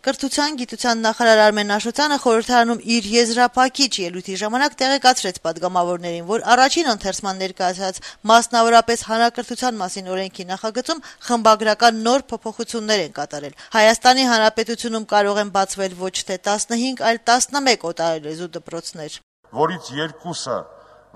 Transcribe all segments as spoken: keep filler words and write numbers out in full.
Կրթության, գիտության նախարար Արմեն Աշոտյանը խորհրդարանում իր եզրափակիչ ելույթի ժամանակ տեղեկացրեց պատգամավորներին, որ առաջին ընթերցման ներկայացած մասնավորապես հանրակրթության մասին օրենքի նախագծում խմբագրական նոր փոփոխություններ են կատարել։ Հայաստանի Հանրապետությունում կարող են բացվել ոչ թե տասնհինգ, այլ տասնմեկ օտարալեզու դպրոցներ, որից երկուսը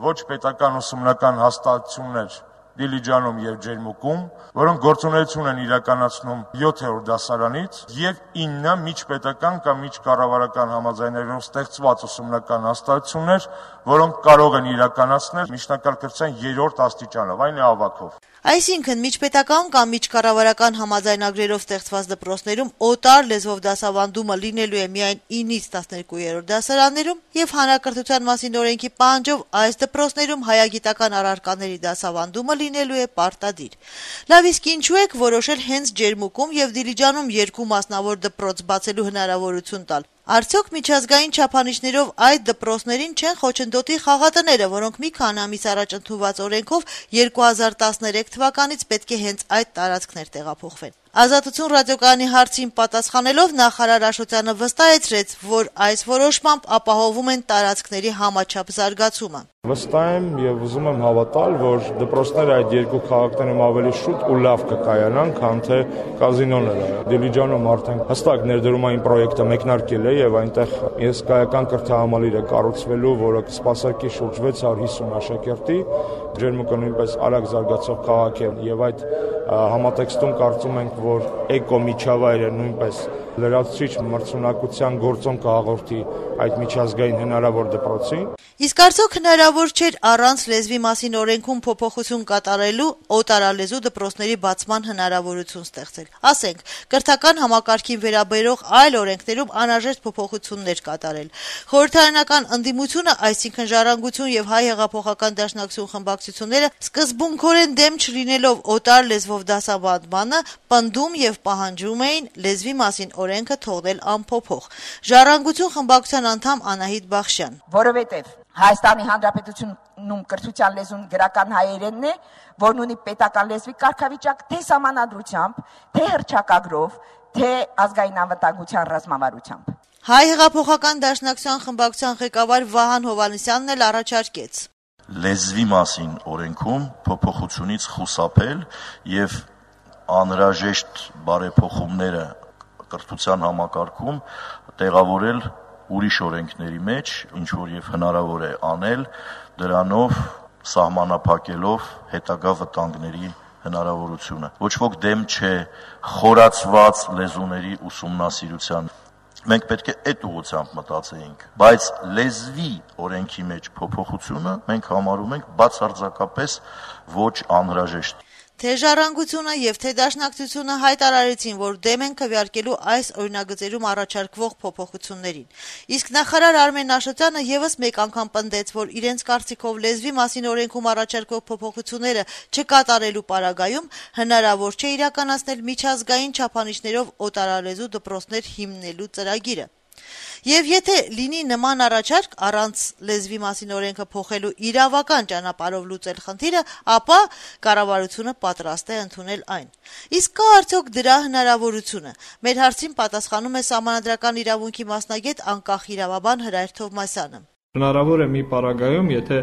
ոչ պետական ուսումնական հաստատություններ Դիլիջանում եւ Ջերմուկում, որոնք գործունեություն են իրականացնում յոթերորդ դասարանից, եւ ինը միջպետական կամ միջկառավարական համաձայնագրով ստեղծված ուսումնական հաստատություններ, որոնք կարող են իրականացնել միջնակարգ կրթության երրորդ աստիճանով, այն է ավագով։ Այսինքն միջպետական կամ միջկառավարական համաձայնագրերով ստեղծված դպրոցներում օտար լեզվով դասավանդումը լինելու է միայն ինից տասներկուերորդ դասարաններում եւ հանրակրթության մասին օրենքի պահանջով այս դպրոցներում հայագիտական առարկաների դասավանդումը լինելու է պարտադիր։ Լավ, իսկ ինչու եք որոշել հենց Ջերմուկում եւ Դիլիջանում երկու մասնավոր դպրոց բացելու հնարավորություն տալ։ Արդյոք միջազգային չափանիշներով այդ դպրոցներին չեն խոչընդոտի խաղատները, որոնք մի քանի ամիս առաջ ընդունված օրենքով երկու հազար տասներեք թվականից պետք է հենց այդ տարածքներ տեղափոխվեն։ Ազատություն ռադիոկայանի հարցին պատասխանելով նախարար Աշոտյանը վստահեցրեց, որ այս որոշմամբ ապահովում են տարածքների համաչափ զարգացումը։ Վստահ եմ եւ ուզում եմ հավատալ, որ դպրոցները այդ երկու քաղաքներում ավելի շուտ ու լավ կկայանան, քան թե կազինոները։ Դիլիջանում արդեն հստակ ներդրումային պրոյեկտը մեկնարկել է եւ այնտեղ հսկայական կրթահամալիր է կառուցվելու, որը կսպասարկի շուրջ վեց հարյուր հիսուն աշակերտի։ Ջերմուկը նույնպես արագ զարգացող քաղաք է եւ այդ համատեքստում կարծում ենք, որ էկո միջավայրը նույնպես լրացուցիչ մրցունակության գործոն կհաղորդի այդ միջազգային հնարավոր դպրոցին։ Իսկ արդյոք հնարավոր չէր առանց լեզվի մասին օրենքում փոփոխություն կատարելու օտարալեզու դպրոցների բացման հնարավորություն ստեղծել։ Ասենք, կրթական համակարգին վերաբերող այլ օրենքներում անհրաժեշտ փոփոխություններ կատարել։ Խորհրդարանական ընդդիմությունը, այսինքն Ժառանգություն եւ Հայ հեղափոխական դաշնակցություն խմբակցությունները սկզբունքորեն դեմ չլինելով օտար լեզվով դասավանդմանը, պնդում եւ պահանջում էին լեզվի մասին օրենքը թողնել անփոփոխ։ Ժառանգություն խմբակցության անդամ Անահիտ Բախշյան, որովհետեւ Հայաստանի Հանրապետությունում կրթության լեզուն գրական հայերենն է, որն ունի պետական լեզվի կարգավիճակ թե սահմանադրությամբ, թե հռչակագրով, թե ազգային անվտանգության ռազմավարությամբ։ Հայ հեղափոխական դաշնակցության խմբակցության ղեկավար Վահան Հովհաննիսյանն էլ առաջարկեց լեզվի մասին օրենքում փոփոխությունից խուսափել եւ անհրաժեշտ բարեփոխումները կրթության համակարգում տեղավորել ուրիշ օրենքների մեջ, ինչ որ եւ հնարավոր է անել, դրանով սահմանափակելով հետագա վտանգների հնարավորությունը։ Ոչ ոք դեմ չէ խորացված լեզուների ուսումնասիրության։ Մենք պետք է այդ ուղղությամբ մտածեինք, բայց լեզվի օրենքի մեջ փոփոխությունը մենք համարում ենք բացարձակապես ոչ անհրաժեշտ։ Թե Ժառանգությունը եւ թե Դաշնակցությունը հայտարարեցին, որ դեմ են քվեարկելու այս օրինագծերում առաջարկվող փոփոխություններին։ Իսկ նախարար Արմեն Աշոտյանը եւս մեկ անգամ պնդեց, որ իրենց կարծիքով լեզվի մասին օրենքում առաջարկվող փոփոխությունները չկատարելու պարագայում հնարավոր չէ իրականացնել միջազգային չափանիշներով օտարալեզու դպրոցներ հիմնելու ծրագիրը։ Եվ եթե լինի նման առաջարկ առանց լեզվի մասին օրենքը փոխելու իրավական ճանապարհով լուծել խնդիրը, ապա կառավարությունը պատրաստ է ընդունել այն։ Իսկ կա արդյոք դրա հնարավորությունը։ Մեր հարցին պատասխանում է Սահմանադրական իրավունքի մասնագետ անկախ իրավաբան Հրայր Թովմասյանը։ Հնարավոր է մի պարագայում, եթե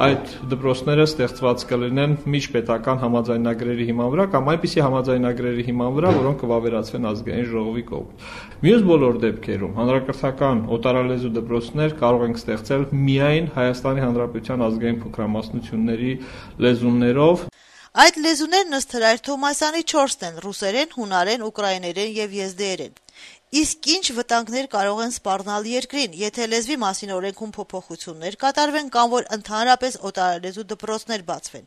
այդ դպրոցները ստեղծված կլինեն միջպետական համաձայնագրերի հիման վրա կամ այնպիսի համաձայնագրերի հիման վրա, որոնք կվավերացվեն ազգային ժողովի կողմից։ Մյուս բոլոր դեպքերում հանրակրթական օտարալեզու դպրոցներ կարող են ստեղծել միայն Հայաստանի Հանրապետության ազգային փոքրամասնությունների լեզուներով։ Այդ լեզուներն ըստ Հրայր Թովմասյանի չորսն են՝ ռուսերեն, հունարեն, ուկրաիներեն եւ եզդիերեն։ Իսկ ինչ վտանգներ կարող են սպառնալ երկրին, եթե լեզվի մասին օրենքում փոփոխություններ կատարվեն կամ որ ընդհանրապես օտարալեզու դպրոցներ բացվեն։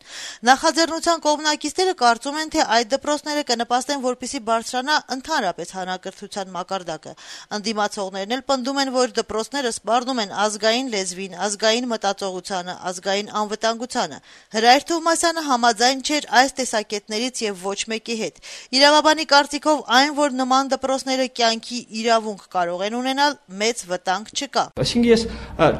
Նախաձեռնության կողմնակիցները կարծում են, թե այդ դպրոցները կնպաստեն, որպեսզի բարձրանա ընդհանրապես հանրակրթության մակարդակը։ Ընդդիմացողներն էլ պնդում են, որ դպրոցները սպառնում են ազգային լեզվին, ազգային մտածողությանը, ազգային անվտանգությանը։ Հրայր Թովմասյանը համաձայն չէր այս տեսակետներից եւ ոչ մեկի հետ։ Իրավաբանի կարծիքով այն, որ նման դպրոցները կյանքի կրթքի իրավունք կարող են ունենալ, մեծ վտանգ չկա։ Այսինքն ես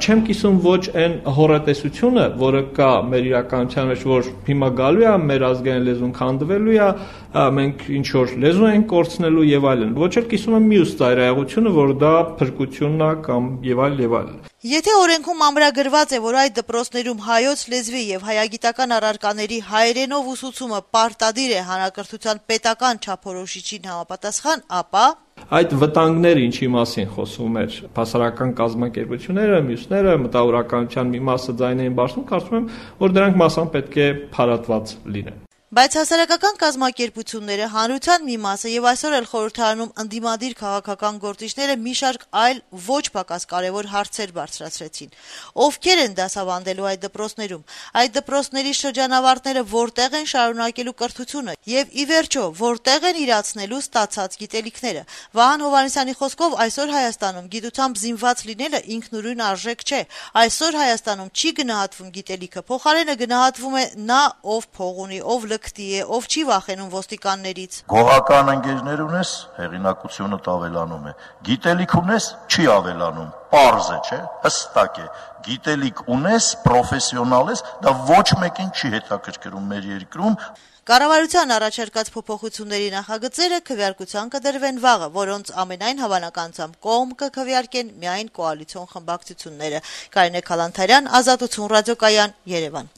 չեմ կիսում ոչ այն հորատեսությունը, որը կա մեր իրականության մեջ, որ հիմա գալու է մեր ազգային լեզուն քանդվելու է, մենք ինչ որ լեզու ենք կորցնելու եւ այլն։ Ոչ էլ կիսում եմ մյուս ծայրահեղությունը, որ դա փրկությունն է կամ եւ այլ եւ այլն։ Եթե օրենքում ամրագրված է, որ այդ դպրոցներում հայոց լեզվի եւ հայագիտական առարկաների հայերենով ուսուցումը պարտադիր է հանրակրթության պետական չափորոշիչին համապատասխան, ապա այդ վտանգները ինչի մասին խոսում էր հասարակական կազմակերպությունները, մյուսները, մտավորականության մի մասը ձայն էին բարձրում, կարծում եմ, որ դրանք մասամբ պետք է փարատված լինեն։ Բայց հասարակական կազմակերպությունները, հանրության մի մասը եւ այսօր էլ խորհրդարանում ընդդիմադիր քաղաքական գործիչները մի շարք այլ ոչ պակաս կարևոր հարցեր բարձրացրեցին։ Ովքեր են դասավանդելու այդ դպրոցներում, այդ դպրոցների շրջանավարտները որտեղ են շարունակելու կրթությունը եւ ի վերջո որտեղ են իրացնելու ստացած գիտելիքները։ Վահան Հովհաննիսյանի խոսքով այսօր Հայաստանում գիտությամբ զինված լինելը ինքնուրույն արժեք չէ։ Այսօր Հայաստանում չի գնահատվում գիտելիքը, փոխարենը գնահատվում է նա, ով փող ունի, ով լկտի է, ով չի վախենում ոստիկաններից։ Գողական ընկերներ ունես, հեղինակությունը ավելանում է։ Գիտելիք ունես, չի ավելանում։ Պարզ է, չէ՞, հստակ է։ Գիտելիք ունես, պրոֆեսիոնալ ես, դա ոչ մեկին չի հետաքրքրում մեր երկրում։ Կառավարության առաջարկած փոփոխությունների նախագծերը քվեարկության կդրվեն վաղը, որոնց ամենայն հավանականությամբ կողմ կքվեարկեն միայն կոալիցիոն խմբակցությունները։ Կարինե Քալանթարյան, Ազատություն ռադիոկայան, Երևան։